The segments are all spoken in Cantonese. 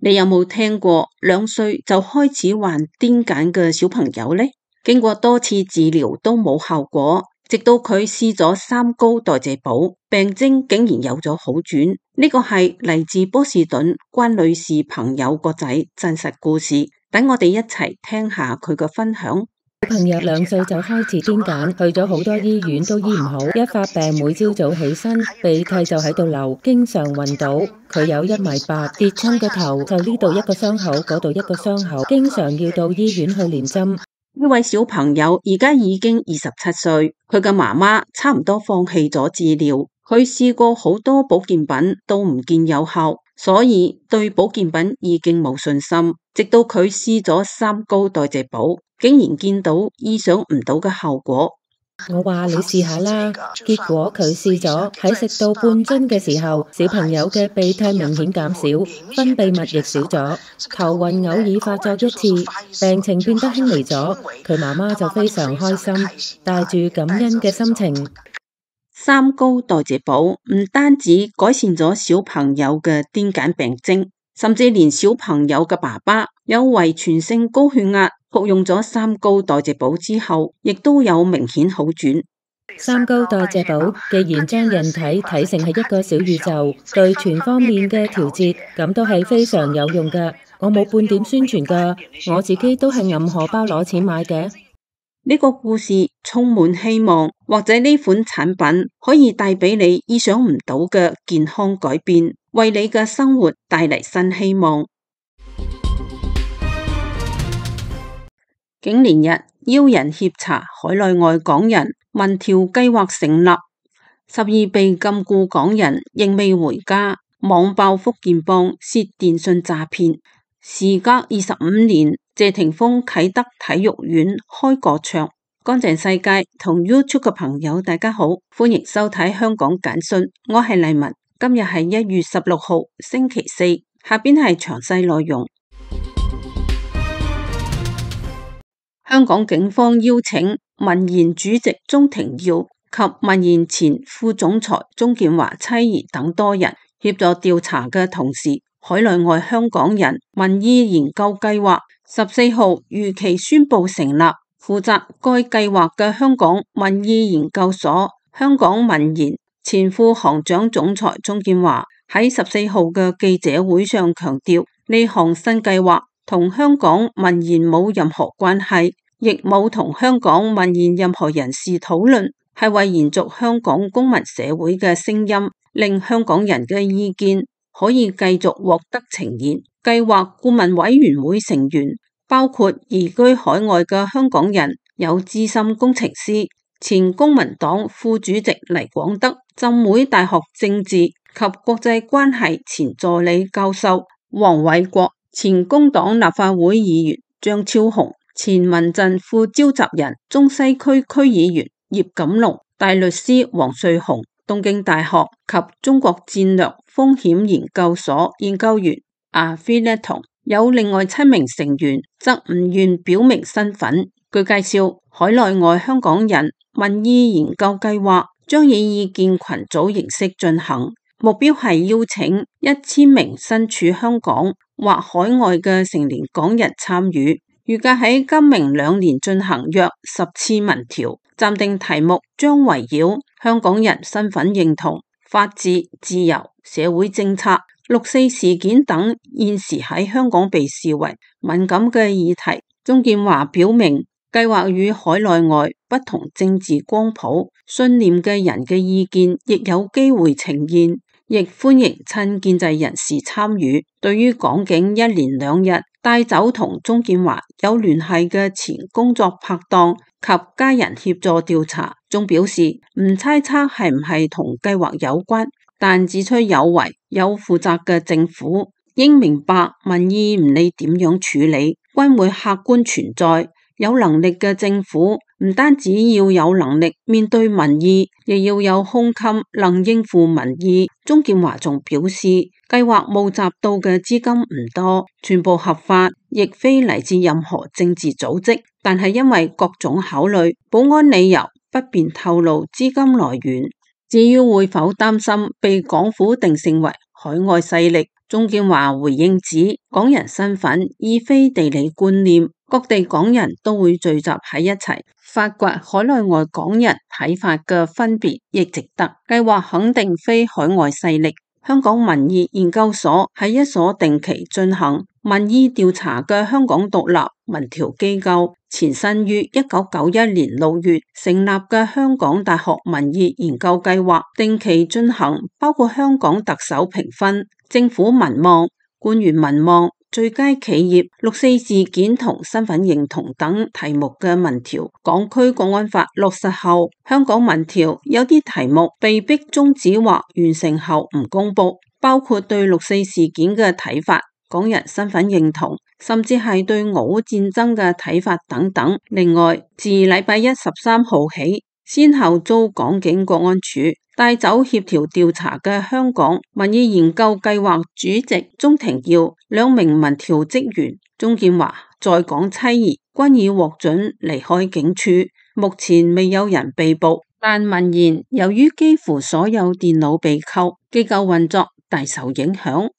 你有冇聽過2歲就開始患癲癇嘅小朋友呢？經過多次治療都冇效果，直到佢試咗3高代謝寶，病徵竟然有咗好轉。呢個係嚟自波士頓關女士朋友個仔真實故事，等我哋一齊聽下佢嘅分享。小朋友2歲就開始癲癇，去咗好多醫院都醫唔好，一發病每朝早起身鼻涕就喺度流，經常暈倒。佢有1.8米，跌親個頭就呢度一個傷口，嗰度一個傷口，經常要到醫院去連針。呢位小朋友而家已經27歲，佢嘅媽媽差唔多放棄咗治療，佢試過好多保健品都唔見有效，所以對保健品已經冇信心。直到佢試咗3高代謝寶，竟然見到意想唔到嘅效果。我話你試下啦，結果佢試咗，喺食到半樽嘅時候，小朋友嘅鼻涕明顯減少，分泌物亦少咗，頭暈偶爾發作1次，病情變得輕微咗。佢媽媽就非常開心，帶住感恩嘅心情。3高代謝寶唔單止改善咗小朋友嘅癲癇病徵，甚至連小朋友嘅爸爸有遺傳性高血壓，服用咗3高代謝寶之後，亦都有明顯好轉。3高代謝寶既然將人體睇成係一個小宇宙，對全方面嘅調節，咁都係非常有用㗎。我冇半點宣傳㗎，我自己都係揞荷包攞錢買嘅。呢個故事充滿希望，或者呢款產品可以帶俾你意想唔到嘅健康改變，為你嘅生活帶嚟新希望。景連日邀人協查海內外港人民調計劃成立，12被禁錮港人仍未回家，網爆福建幫涉電信詐騙。時隔25年，謝霆鋒啟德體育園開個唱。乾淨世界同 YouTube 嘅朋友大家好，歡迎收睇香港簡訊，我係麗文。今日係1月16號星期四，下邊係詳細內容。香港警方邀請民研主席鍾庭耀及民研前副總裁鍾建華妻兒等多人協助調查嘅同時，海內外香港人民意研究計劃14號如期宣布成立。負責該計劃嘅香港民意研究所香港民研前副行長總裁鍾建華喺14號嘅記者會上強調，呢項新計劃同香港民研冇任何關係，亦冇同香港民研任何人士討論，係為延續香港公民社會嘅聲音，令香港人嘅意見可以繼續獲得呈現。計劃顧問委員會成員包括移居海外嘅香港人，有資深工程師、前公民黨副主席黎廣德、浸會大學政治及國際關係前助理教授黃偉國、前工黨立法會議員張超雄、前民陣副召集人中西區區議員葉錦龍、大律師黃瑞雄、東京大學及中國戰略風險研究所研究員阿菲列同。有另外7名成員則唔願表明身份。據介紹，海內外香港人民意研究計劃將以意見群組形式進行，目標係邀請1000名身處香港或海外嘅成年港人參與，預計喺今明2年進行約10次民調。暫定題目將圍繞香港人身份認同、法治、自由、社會政策、6.4事件等現時喺香港被視為敏感嘅議題。鍾建華表明，計劃與海內外不同政治光譜、信念嘅人嘅意見亦有機會呈現，亦歡迎親建制人士參與。對於港警1連2日帶走同鍾建華有聯繫嘅前工作拍檔及家人協助調查，仲表示唔猜測係唔係同計劃有關，但指出有為有負責嘅政府應明白民意唔理點樣處理，均會客觀存在。有能力嘅政府唔單止要有能力面對民意，亦要有胸襟能應付民意。鍾建華仲表示，計劃募集到嘅資金唔多，全部合法，亦非嚟自任何政治組織，但係因為各種考慮，保安理由不便透露資金來源。至於會否擔心被港府定性為海外勢力，鍾建華回應指，港人身份已非地理觀念，各地港人都會聚集喺一齊，發掘海內外港人睇法嘅分別亦值得。計劃肯定非海外勢力。香港民意研究所係一所定期進行民意調查嘅香港獨立民調機構，前身於1991年6月成立嘅香港大學民意研究計劃，定期進行包括香港特首評分、政府民望、官員民望、最佳企業、六四事件同身份認同等題目嘅民調。港區國安法落實後，香港民調有啲題目被迫終止或完成後唔公佈，包括對六四事件嘅睇法、港人身份認同，甚至係對俄烏戰爭嘅睇法等等。另外，自禮拜一13號起，先後遭港警國安處帶走協調調查嘅香港民意研究計劃主席鍾庭耀、兩名民調職員鍾建華在港妻兒均已獲准離開警署，目前未有人被捕。但民研由於幾乎所有電腦被扣，機構運作大受影響。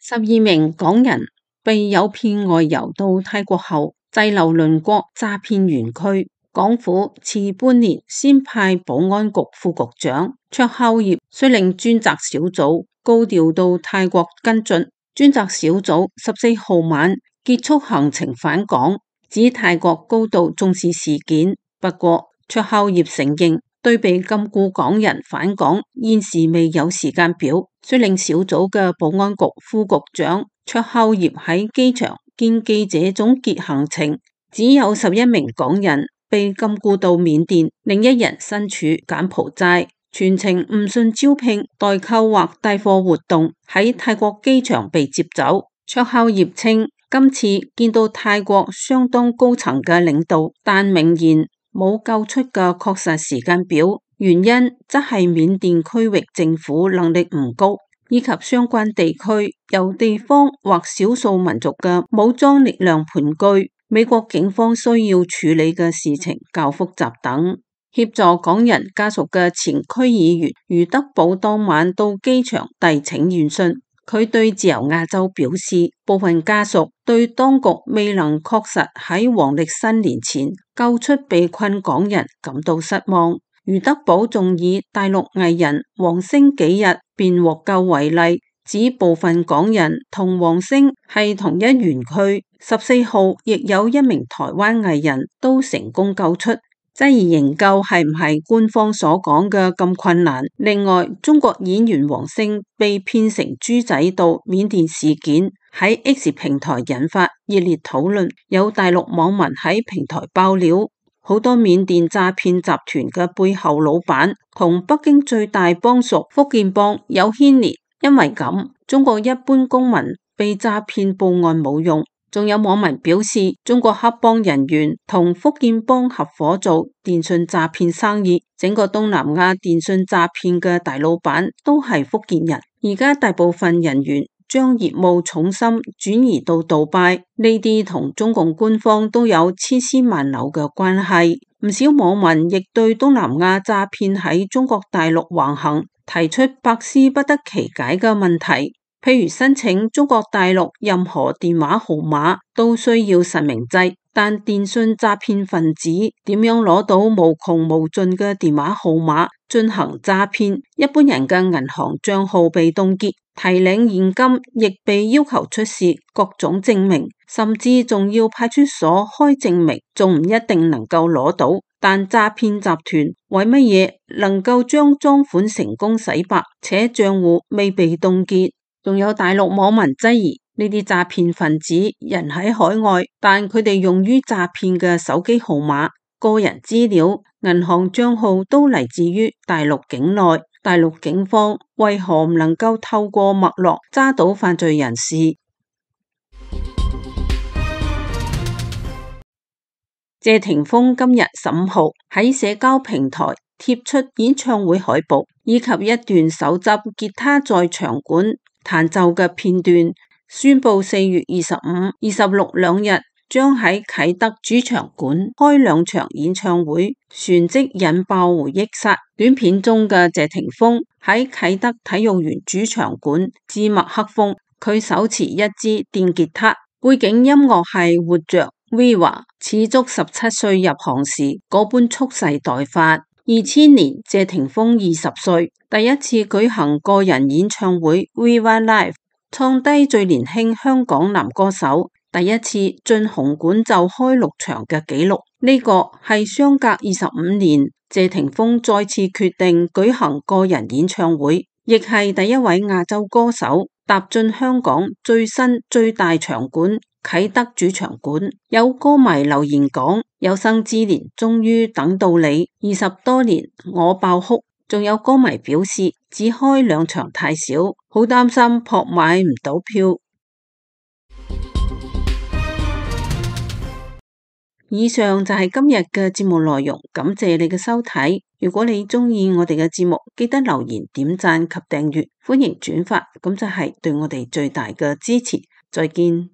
12名港人被誘騙外遊到泰國後，滯留鄰國詐騙園區，港府遲半年先派保安局副局長卓孝業率領專責小組高調到泰國跟進。專責小組14號晚結束行程返港，指泰國高度重視事件。不過卓孝業承認，對被禁錮港人返港現時未有時間表。率領小組嘅保安局副局長卓孝業喺機場見記者總結行程，只有11名港人被禁錮到緬甸，另一人身處柬埔寨，全程誤信招聘、代購或帶貨活動，喺泰國機場被接走。卓孝業稱，今次見到泰國相當高層嘅領導，但明言冇救出嘅確實時間表，原因則係緬甸區域政府能力唔高，以及相關地區由地方或少數民族嘅武裝力量盤踞，美國警方需要處理嘅事情較複雜等。協助港人家屬嘅前區議員余德寶當晚到機場遞請願信，佢對自由亞洲表示，部分家屬對當局未能確實喺黃曆新年前救出被困港人感到失望。余德寶仲以大陸藝人黃星幾日便獲救為例，指部分港人同黃星係同一園區，14號亦有一名台灣藝人都成功救出，質疑營救係唔係官方所講嘅咁困難。另外，中國演員黃星被騙成豬仔到緬甸事件喺 X 平台引發熱烈討論，有大陸網民喺平台爆料，好多緬甸詐騙集團嘅背後老闆同北京最大幫屬福建幫有牽連，因為咁，中國一般公民被詐騙報案冇用。仲有網民表示，中國黑幫人員同福建幫合夥做電信詐騙生意，整個東南亞電信詐騙嘅大老闆都係福建人。而家大部分人員將業務重心轉移到杜拜，呢啲同中共官方都有千絲萬縷嘅關係。唔少網民亦對東南亞詐騙喺中國大陸橫行提出百思不得其解嘅問題。譬如申請中國大陸任何電話號碼都需要實名制，但電信詐騙分子點樣攞到無窮無盡嘅電話號碼進行詐騙？一般人嘅銀行賬號被凍結，提領現金亦被要求出示各種證明，甚至仲要派出所開證明，仲唔一定能夠攞到。但詐騙集團為乜嘢能夠將贓款成功洗白，且賬戶未被凍結？仲有大陸網民質疑呢啲詐騙分子人喺海外，但佢哋用於詐騙嘅手機號碼、個人資料、銀行賬號都嚟自於大陸境內。大陸警方為何唔能夠透過脈絡揸到犯罪人士？謝霆鋒今日15號喺社交平台貼出演唱會海報，以及一段手執吉他在場館彈奏嘅片段，宣布4月25、26兩日將喺啟德主場館開2場演唱會，旋即引爆回憶殺。短片中嘅謝霆鋒喺啟德體育園主場館自墨克風，佢手持一支電吉他，背景音樂係活着 Viva， 似足17歲入行時嗰般蓄勢待發。2000年謝霆鋒20歲，第一次舉行個人演唱會 Viva Live， 創低最年輕香港男歌手第一次進紅館就開6場嘅紀錄。呢個係相隔25年，謝霆鋒再次決定舉行個人演唱會，亦係第一位亞洲歌手踏進香港最新最大場館啟德主場館。有歌迷留言講：有生之年終於等到你，20多年我爆哭。仲有歌迷表示只開2場太少，好擔心撲買唔到票。以上就係今日嘅節目內容，感謝你嘅收睇。如果你鍾意我哋嘅節目，記得留言、點讚及訂閱，歡迎轉發，咁就係對我哋最大嘅支持。再見。